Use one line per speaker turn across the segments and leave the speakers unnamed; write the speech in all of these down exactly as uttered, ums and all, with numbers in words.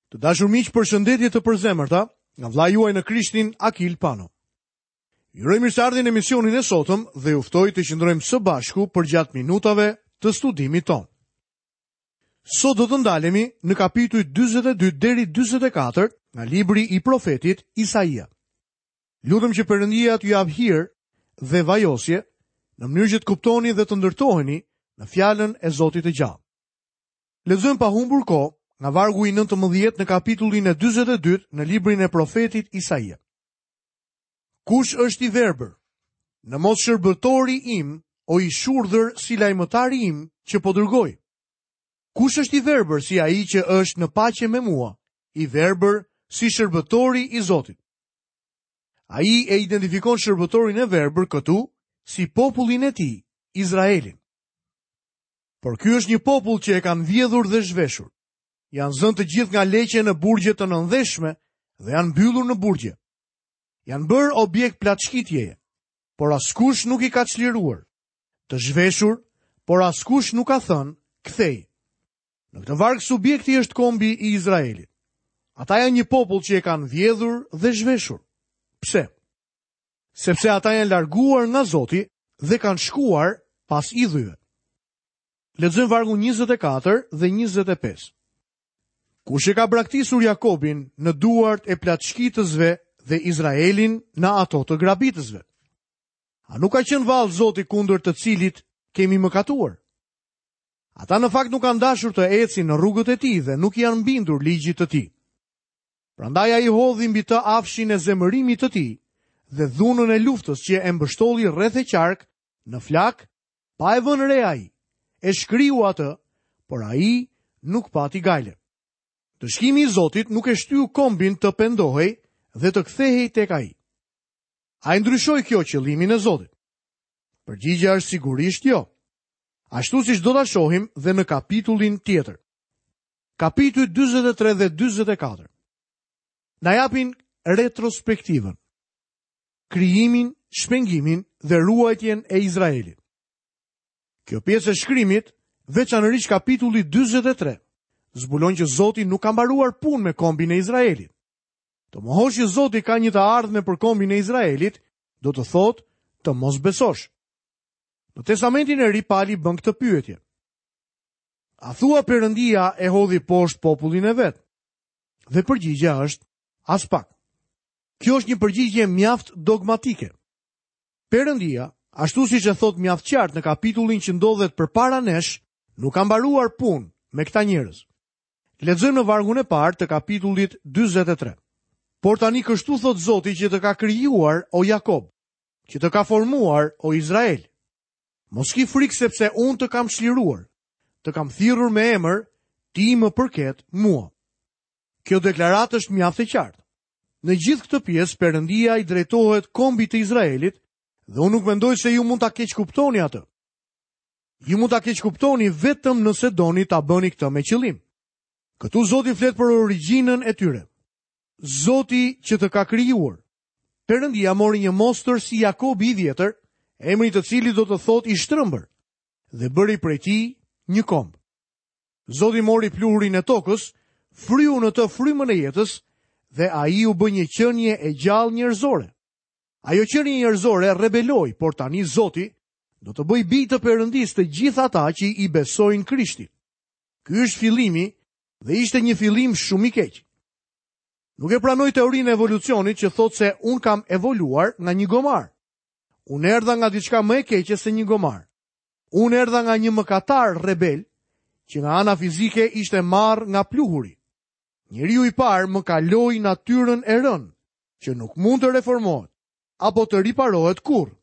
Të dashur miq, përshëndetje të përzemërta nga vëllai juaj në Krishtin Akil Pano. Ju uroj mirëseardhjen në emisionin e sotëm dhe ju ftoj të qëndrojmë së bashku përgjatë minutave të studimit tonë. Sot do të ndalemi në kapitujt dyzet e dy deri dyzet e katër nga libri i profetit Isaia. Lutem që Perëndia t'ju japë hir dhe vajosje në mënyrë që të kuptoni dhe të ndërtoheni në fjalën e Zotit të gjallë. Lexojmë pa humbur kohë nga vargu i nëntëmbëdhjetë në kapitullin e dyzet e dy në librin e profetit Isaia. Kush është i verbër? Në mos shërbëtori im, o i shurdhër si lajmëtari im që po dërgoj. Kush është i verbër si ai që është në paqe me mua, i verbër si shërbëtori i Zotit? Ai e identifikon shërbëtorin e verbër këtu si popullin e tij, Izraelin. Por ky është një popull që e kanë vjedhur dhe zhveshur. Janë zënë të gjithë nga leqe në burgje të nëndheshme dhe janë mbyllur në burgje. Janë bërë objekt plaçkitjeje, por askush nuk i ka çliruar. Të zhveshur, por askush nuk ka thënë, kthej. Në këtë varg subjekti është kombi i Izraelit. Ata janë një popull që e kanë vjedhur dhe zhveshur. Pse? Sepse ata janë larguar nga Zoti dhe kanë shkuar pas idhujve. Lexojmë vargun njëzet e katër dhe njëzet e pesë. Kush e ka braktisur Jakobin në duart e plaçkitësve dhe Izraelin në ato të grabitësve? A nuk ka qenë vallë Zoti kundër të cilit kemi mëkatuar? Ata në fakt nuk kanë dashur të ecin në rrugët e tij dhe nuk i janë bindur ligjit të tij. Prandaj ai hodhi mbi të afshin e zemërimit të tij dhe dhunën e luftës që e mbështolli rreth e qark në flak, pa e vënë re ai. E shkriu atë, por ai nuk pati gajle. Dëshkimi i Zotit nuk e shtyu kombin të pendohej dhe të kthehej tek ai. A e ndryshoi kjo qëllimin e Zotit? Përgjigjja është sigurisht jo. Ashtu siç do ta shohim dhe në kapitullin tjetër. Kapitujt dyzet e tre dhe dyzet e katër. Na japin retrospektivën, krijimin, shpengimin dhe ruajtjen e Izraelit. Kjo pjesë e shkrimit, veçanërisht kapitulli dyzet e tre, zbulon që Zoti nuk ka mbaruar punë me kombin e Izraelit. Të mohosh që Zoti ka një të ardhme për kombin e Izraelit, do të thotë të mos besosh. Në Testamentin e Ri Pali bën këtë pyetje. A thua Perëndia e hodhi poshtë popullin e vet? Dhe përgjigjja është aspak. Kjo është një përgjigje mjaft dogmatike. Perëndia, ashtu siç e thot mjaft qartë në kapitullin që ndodhet përpara nesh, nuk ka mbaruar punë me këta njerëz. Lexojmë në vargun e parë të kapitullit dyzet e tre. Por tani kështu thot Zoti që të ka krijuar o Jakob, që të ka formuar o Izrael. Mos ki frikë sepse unë të kam çliruar, të kam thirrur me emër, ti më përket mua. Kjo deklaratë është mjaft e qartë. Në gjithë këtë pjesë Perëndia i drejtohet kombit të Izraelit dhe unë nuk mendoj se ju mund ta keqkuptoni atë. Ju mund ta keqkuptoni vetëm nëse doni ta bëni këtë me qëllim. Këtu Zoti flet për origjinën e tyre. Zoti që të ka krijuar. Perëndia mori një mostër si Jakobi i vjetër, emri të cilit do të thotë i shtrëmbër, dhe bëri prej tij një komb. Zoti mori pluhurin e tokës, fryu në të frymën e jetës dhe ai u bë një qenie e gjallë njerëzore. Ajo qenie njerëzore rebeloi, por tani Zoti do të bëjë bij të Perëndisë të gjithë ata që i besojnë Krishtit. Ky është fillimi dhe ishte një fillim shumë i keq. Nuk e pranoj teorinë e evolucionit që thotë se unë kam evoluar nga një gomar. Unë erdha nga diçka më e keqe se një gomar. Unë erdha nga një mëkatar rebel, që nga ana fizike ishte marrë nga pluhuri. Njeriu i parë më kaloi natyrën e rënë, që nuk mund të reformohet apo të riparohet kurrë.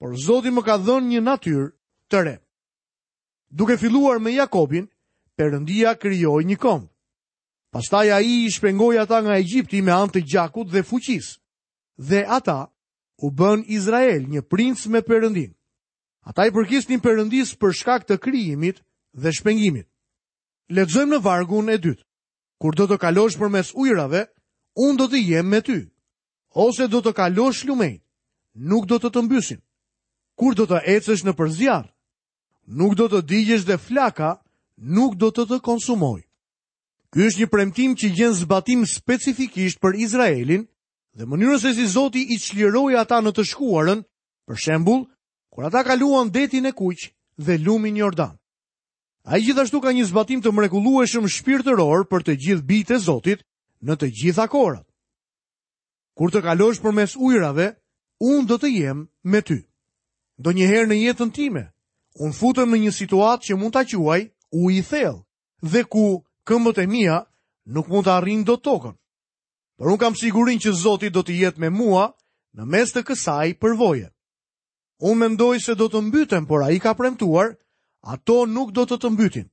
Por Zoti më ka dhënë një natyrë të re. Duke filluar me Jakobin, Perëndia krijoi një komb. Pastaj ai i shpengoi ata nga Egjipti me anë të gjakut dhe fuqisë. Dhe ata u bën Izrael një princ me Perëndin. Ata i përkisnin Perëndisë për shkak të krijimit dhe shpengimit. Lexojmë në vargun e dytë. Kur do të kalosh përmes ujërave, unë do të jem me ty. Ose do të kalosh lumenjt, nuk do të të mbysin. Kur do të ecësh nëpër zjarr, nuk do të digjesh dhe flaka nuk do të të konsumoj. Ky është një premtim që gjen zbatim specifikisht për Izraelin dhe mënyrën se si Zoti i çliroi ata në të shkuarën, për shembull, kur ata kaluan detin e Kuq dhe lumin Jordan. Ai gjithashtu ka një zbatim të mrekullueshëm shpirtëror për të gjithë bijtë e Zotit në të gjitha kohrat. Kur të kalosh përmes ujrave, unë do të jem me ty. Ndonjëherë në jetën time, unë futem në një situatë që mund ta quaj ujë i thellë dhe ku këmbët e mia nuk mund të arrijnë dot tokën. Por unë kam sigurinë që Zoti do të jetë me mua në mes të kësaj përvoje. Unë mendoj se do të mbytem, por ai ka premtuar, ato nuk do të të mbytin.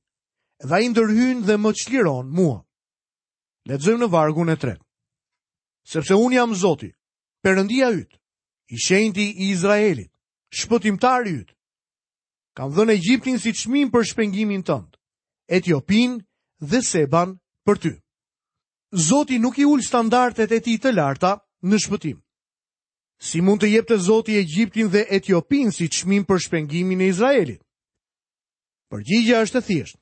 Dhe ai ndërhyn dhe më çliron mua. Lexojmë në vargun e tretë. Sepse unë jam Zoti, Perëndia yt, i shenjti i Izraelit, shpëtimtari yt. Kam dhënë Egjiptin si çmim për shpengimin tënd, Etiopinë dhe Seban për ty. Zoti nuk i ul standardet e tij të larta në shpëtim. Si mund të jepte Zoti Egjiptin dhe Etiopinë si çmim për shpengimin e Izraelit? Përgjigjja është e thjeshtë.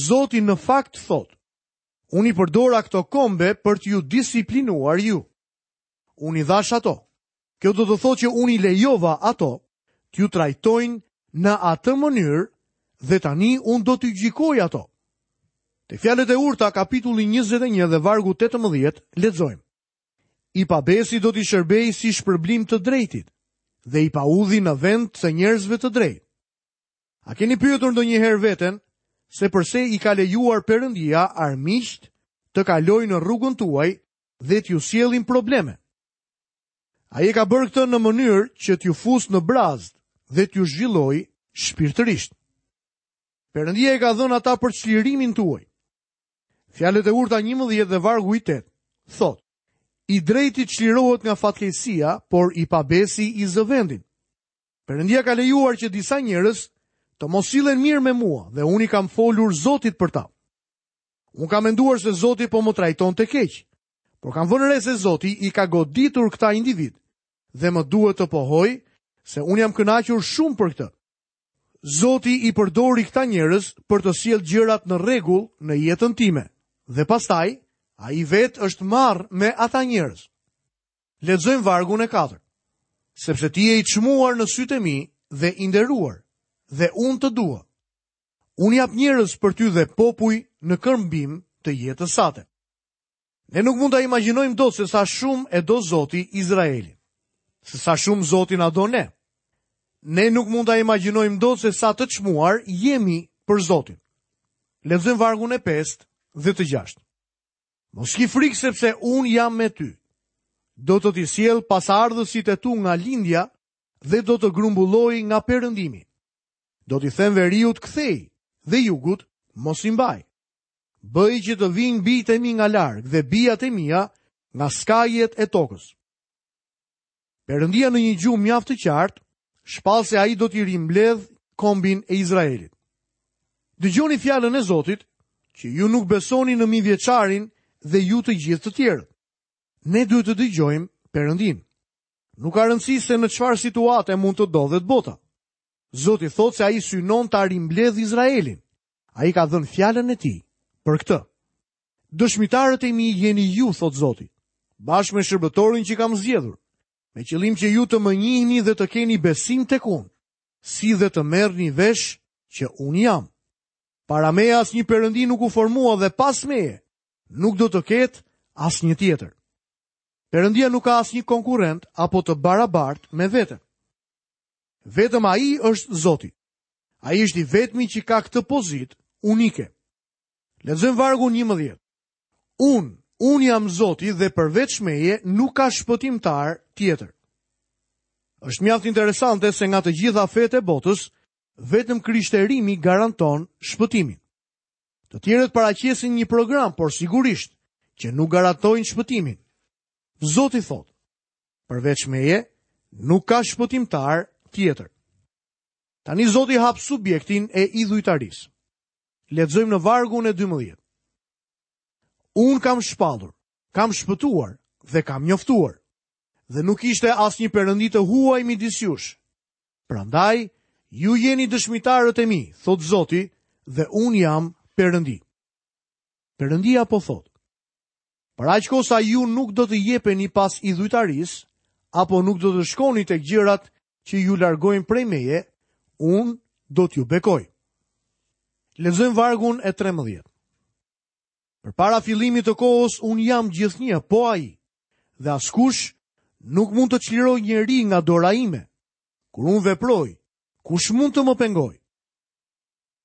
Zoti në fakt thotë: Unë i përdora këto kombe për t'ju disiplinuar ju. Unë i dhash ato. Kjo do të thotë që unë i lejova ato t'ju trajtojnë në atë mënyrë dhe tani unë do t'ju gjykoj ato. Te fjalët e urta, kapitulli njëzet e një dhe vargu tetëmbëdhjetë, lexojmë: I pabesi do t'i shërbej si shpërblim të drejtit dhe i paudhi në vend të njerëzve të drejtë. A keni pyetur ndonjëherë veten se përse i ka lejuar Perëndia armiqt të kalojnë në rrugën tuaj dhe t'ju sjellin probleme? Ai e ka bërë këtë në mënyrë që t'ju fus në brazd dhe t'ju zhvilloj shpirtërisht. Perëndia e ka dhënë ata për çlirimin tuaj. Fjalët e urta njëmbëdhjetë dhe vargu i tetë thotë: I drejti çlirohet nga fatkeqësia, por i pabesi i zë vendin. Perëndia ka lejuar që disa njerëz të mos sillen mirë me mua dhe unë i kam folur Zotit për ta. Unë kam menduar se Zoti po më trajtonte keq, por kam vënë re se Zoti i ka goditur këta individ dhe më duhet të pohoj se unë jam kënaqur shumë për këtë. Zoti i përdori këta njerëz për të sjellë gjërat në rregull në jetën time dhe pastaj ai vetë është marrë me ata njerëz. Lexojmë vargun e katërt. Sepse ti je i çmuar në sytë e mi dhe i nderuar, dhe unë të dua. Unë jap njerëz për ty dhe popuj në këmbim të jetës sate. Ne nuk mund ta imagjinojmë dot se sa shumë e do Zoti Izraelin, se sa shumë Zoti na do ne. Ne nuk mund ta imagjinojmë dot se sa të çmuar jemi për Zotin. Lexojmë vargun e pestë dhe të gjashtë. Mos ki frikë sepse unë jam me ty. Do të t'i sjell pasardhësit e tu nga lindja dhe do të grumbulloj nga perëndimi. Do t'i them veriut kthej dhe jugut mos i mbaj. Bëj që të vinë bijtë e mi nga larg dhe bijat e mia nga skajet e tokës. Perëndia në një gjuhë mjaft të qartë shpall se ai do t'i rimbledh kombin e Izraelit. Dëgjoni fjalën e Zotit, që ju nuk besoni në mijëvjeçarin dhe ju të gjithë të tjerët. Ne duhet të dëgjojmë Perëndin. Nuk ka rëndësi se në çfarë situate mund të ndodhet bota. Zoti thotë se ai synon ta rimbledh Izraelin. Ai ka dhënë fjalën e tij për këtë. Dëshmitarët e mi jeni ju, thotë Zoti, bashkë me shërbëtorin që kam zgjedhur, me qëllim që ju të më njihni dhe të keni besim tek unë, si dhe të merrni vesh që unë jam. Para meje asnjë perëndi nuk u formua dhe pas meje nuk do të ketë asnjë tjetër. Perëndia nuk ka asnjë konkurrent apo të barabartë me veten. Vetëm ai është Zoti. Ai është i vetmi që ka këtë pozitë unike. Lexojmë vargun njëmbëdhjetë. Unë, unë jam Zoti dhe përveç meje nuk ka shpëtimtar tjetër. Është mjaft interesante se nga të gjitha fetë e botës, vetëm krishterimi garanton shpëtimin. Të tjerët paraqesin një program, por sigurisht që nuk garantojnë shpëtimin. Zoti thotë, përveç meje nuk ka shpëtimtar tjetër. Tani Zoti hap subjektin e idhujtarisë. Lexojmë në vargun e dymbëdhjetë. Unë kam shpallur, kam shpëtuar dhe kam njoftuar, dhe nuk ishte asnjë perëndi të huaj midis jush. Prandaj ju jeni dëshmitarët e mi, thot Zoti, dhe unë jam Perëndi. Perëndia po thotë: Për aq kohë sa ju nuk do të jepeni pas idhujtarisë, apo nuk do të shkoni tek gjërat që ju largojnë prej meje, unë do t'ju bekoj. Lexojmë vargun e trembëdhjetë. Përpara fillimit të kohës unë jam gjithnjë po ai, dhe askush nuk mund të çlirojë njeri nga dora ime. Kur unë veproj, kush mund të më pengojë?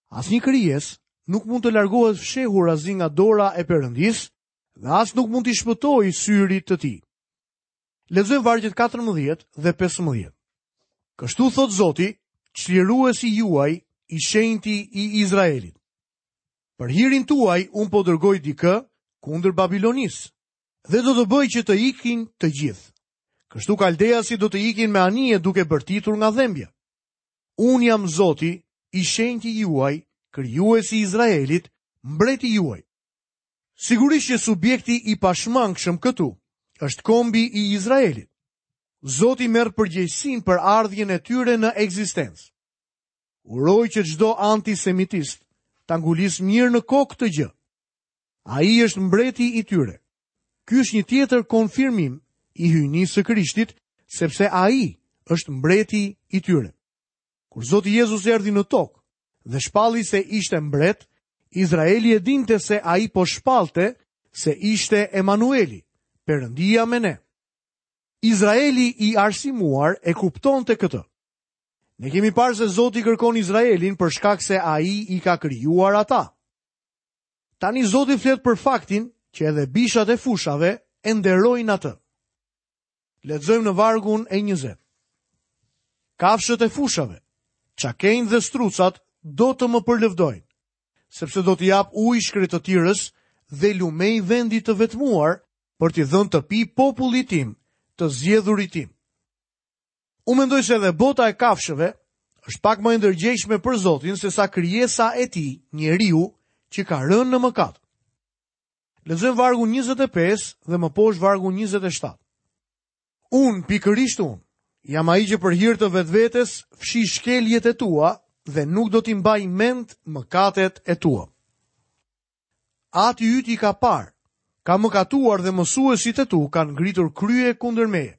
Asnjë krijesë nuk mund të largohet fshehurazi nga dora e Perëndisë dhe as nuk mund t'i shpëtojë syrit të tij. Lexojmë vargjet katërmbëdhjetë dhe pesëmbëdhjetë. Kështu thot Zoti, çliruesi juaj, i shenjti i Izraelit. Për hirin tuaj unë po dërgoj dikë kundër Babilonisë dhe do të bëj që të ikin të gjithë. Kështu kaldeasit do të ikin me anije duke bërtitur nga dhembja. Unë jam Zoti, i shenjti juaj, krijuesi i Izraelit, mbreti juaj. Sigurisht që subjekti i pashmangshëm këtu është kombi i Izraelit. Zoti merr përgjegjësinë për ardhjen e tyre në ekzistencë. Uroj që çdo antisemitist ta ngulis mirë në kokë këtë gjë. Ai është mbreti i tyre. Ky është një tjetër konfirmim i hyjnisë së Krishtit, sepse ai është mbreti i tyre. Kur Zoti Jezus erdhi në tokë dhe shpalli se ishte mbret, Izraeli e dinte se ai po shpallte se ishte Emanueli, Perëndia me ne. Izraeli i arsimuar e kuptonte këtë. Ne kemi parë se Zoti kërkon Izraelin për shkak se ai i ka krijuar ata. Tani Zoti flet për faktin që edhe bishat e fushave e nderojnë atë. Lexojmë në vargun e njëzet. Kafshët e fushave, çakejnë dhe strucat do të më përlëvdojnë, sepse do t'i jap ujë shkretëtirës dhe lumej vendit të vetmuar për t'i dhënë të pi popullit tim, të zgjedhurit tim. Unë mendoj se edhe bota e kafshëve është pak më e ndërgjegjshme për Zotin se sa krijesa e tij, njeriu që ka rënë në mëkat. Lexojmë vargun njëzet e pesë dhe më poshtë vargun njëzet e shtatë. Unë, pikërisht unë, jam ai që për hir të vetvetes fshi shkeljet e tua dhe nuk do t'i mbaj mend mëkatet e tua. Ati yt i ka parë, ka mëkatuar dhe mësuesit e tu kanë ngritur krye kundër meje.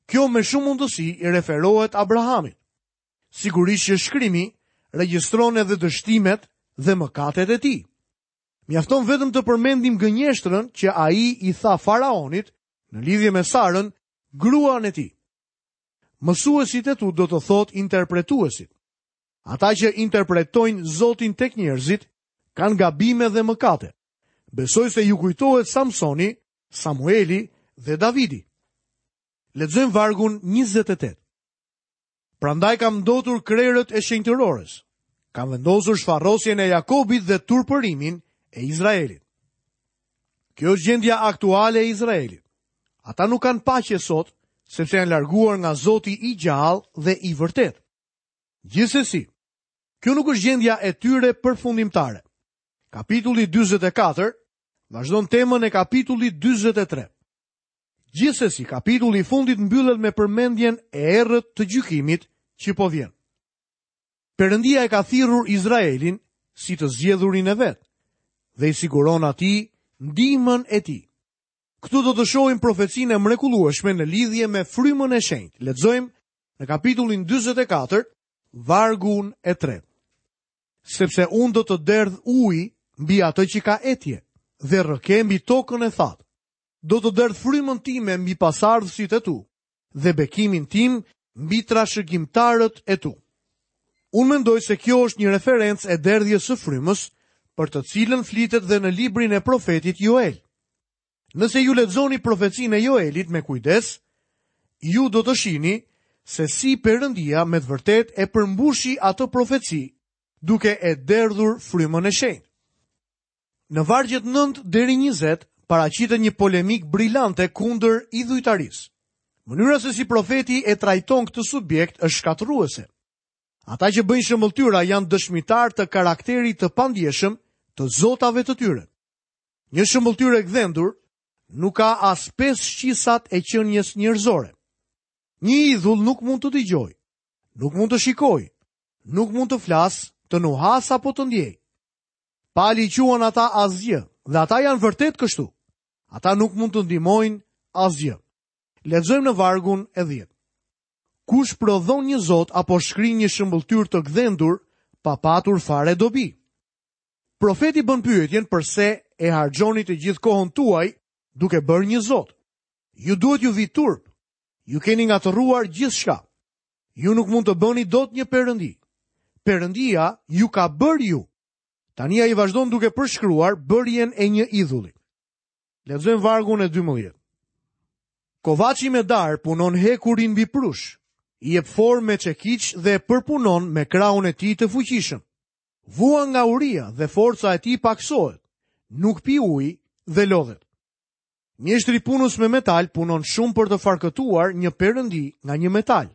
Kjo me shumë mundësi i referohet Abrahamit. Sigurisht që shkrimi regjistron edhe dështimet dhe mëkatet e tij. Mjafton vetëm të përmendim gënjeshtrën që ai i tha faraonit në lidhje me Sarën, gruan e tij. Mësuesit e tu do të thotë interpretuesit. Ata që interpretojnë Zotin tek njerëzit kanë gabime dhe mëkate. Besoj se ju kujtohet Samsoni, Samueli dhe Davidi. Lexojmë vargun njëzet e tetë. Prandaj kam ndotur krerët e shenjtërores. Kam vendosur shfarosjen e Jakobit dhe turpërimin e Izraelit. Kjo është gjendja aktuale e Izraelit. Ata nuk kanë paqe sot, sepse janë larguar nga Zoti i gjallë dhe i vërtet. Gjithsesi, kjo nuk është gjendja e tyre përfundimtare. Kapitulli dyzet e katër vazhdon temën e kapitullit dyzet e tre. Gjithsesi, kapitulli i fundit mbyllet me përmendjen e errët të gjykimit që po vjen. Perëndia e ka thirrur Izraelin si të zgjedhurin e vet dhe i siguron atij ndihmën e tij. Këtu do të shohim profecinë e mrekullueshme në lidhje me frymën e shenjtë. Lexojmë në kapitullin dyzet e katër, vargun e tretë. Sepse unë do të derdh ujë mbi atë që ka etje dhe rrëke mbi tokën e thatë. Do të derdh frymën time mbi pasardhësit e tu dhe bekimin tim mbi trashëgimtarët e tu. Unë mendoj se kjo është një referencë e derdhjes së frymës, për të cilën flitet dhe në librin e profetit Joel. Nëse ju lexoni profecinë e Joelit me kujdes, ju do të shihni se si Perëndia me të vërtetë e përmbushi atë profeci, duke e derdhur frymën e shenjtë. Në vargjet nëntë deri njëzet paraqitet një polemik brillante kundër idhujtarisë. Mënyra se si profeti e trajton këtë subjekt është shkatërruese. Ata që bëjnë shëmbëlltyra janë dëshmitar të karakterit të pandjeshëm të zotave të tyre. Një shëmbëlltyrë e gdhendur nuk ka as pesë shqisat e qenies njerëzore. Një idhull nuk mund të dëgjojë, nuk mund të shikojë, nuk mund të flasë, të nuhasë apo të ndjejë. Pali i quan ata asgjë, dhe ata janë vërtet kështu. Ata nuk mund të ndihmojnë asgjë. Lexojmë në vargun e dhjetë. Kush prodhon një zot apo shkrin një shëmbëlltyrë të gdhendur pa patur fare dobi? Profeti bën pyetjen përse e harxhoni të gjithë kohën tuaj duke bërë një zot. Ju duhet ju vi turp. Ju keni ngatërruar gjithçka. Ju nuk mund të bëni dot një perëndi. Perëndia ju ka bërë ju. Tani ai vazhdon duke përshkruar bërjen e një idhulli. Lexojmë vargun e dymbëdhjetë. Kovaçi me dar punon hekurin mbi prush, i jep formë me çekiç dhe përpunon me krahun e tij të fuqishëm. Vuan nga uria dhe forca e tij paksohet, nuk pi ujë dhe lodhet. Mjeshtri punës me metal punon shumë për të farkëtuar një perëndi nga një metal.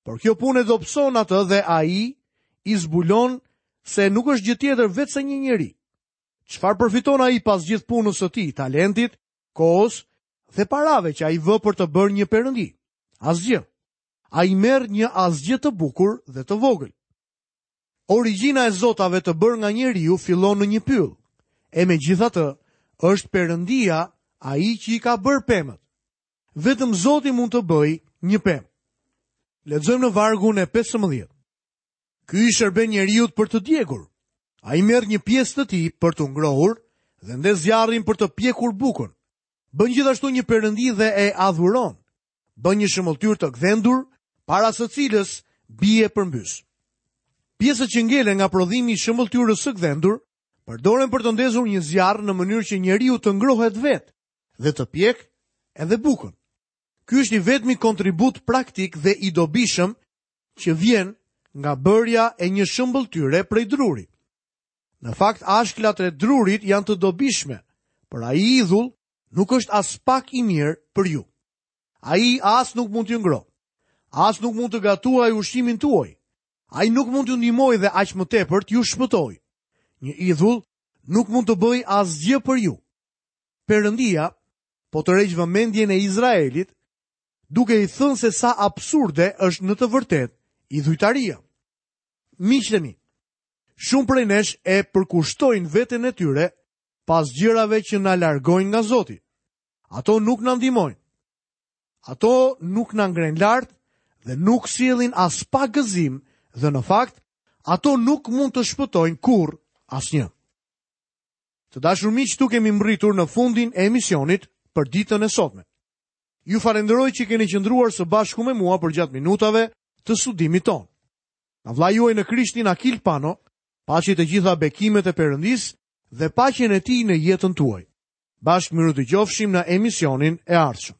Por kjo punë e dobëson atë dhe ai i zbulon se nuk është gjë tjetër veç se një njeri. Çfarë përfiton ai pas gjithë punës së tij, talentit, kohës dhe parave që ai vë për të bërë një perëndi? Asgjë. Ai merr një asgjë të bukur dhe të vogël. Origjina e zotave të bërë nga njeriu fillon në një pyll. E megjithatë, është perëndia ai që i ka bërë pemët. Vetëm Zoti mund të bëjë një pemë. Lexojmë në vargun e pesëmbëdhjetë. Ky i shërben njeriut për të djegur. Ai merr një pjesë të tij për të ngrohur dhe ndez zjarrin për të pjekur bukën. Bën gjithashtu një perëndi dhe e adhuron. Bën një shëmbëlltyrë të gdhendur, para së cilës bie përmbys. Pjesët që ngelen nga prodhimi i shëmbëlltyrës së gdhendur përdoren për të ndezur një zjarr në mënyrë që njeriu të ngrohet vetë dhe të pjek edhe bukën. Ky është i vetmi kontribut praktik dhe i dobishëm që vjen nga bërja e një shëmbëlltyre prej druri. Në fakt, ashklat e drurit janë të dobishme, por ai idhull nuk është as pak i mirë për ju. Ai as nuk mund t'ju ngrohë, as nuk mund të gatuajë ushqimin tuaj. Ai nuk mund t'ju ndihmojë dhe aq më tepër t'ju shpëtojë. Një idhull nuk mund të bëjë asgjë për ju. Perëndia po tërheq vëmendjen e Izraelit duke i thënë se sa absurde është në të vërtetë idhujtaria. Miqtë e mi, shumë prej nesh e përkushtojnë veten e tyre pas gjërave që na largojnë nga Zoti. Ato nuk na ndihmojnë. Ato nuk na ngrenë lart dhe nuk sjellin as pak gëzim dhe në fakt ato nuk mund të shpëtojnë kurrë asnjë. Të dashur miq, këtu kemi mbërritur në fundin e emisionit për ditën e sotme. Ju falenderoj që keni qëndruar së bashku me mua përgjatë minutave të studimit tonë. Nga vllai juaj në Krishtin Akil Pano, paçi të gjitha bekimet e Perëndisë dhe paqen e tij në jetën tuaj. Bashkë mirudëgjofshim në emisionin e ardhshëm.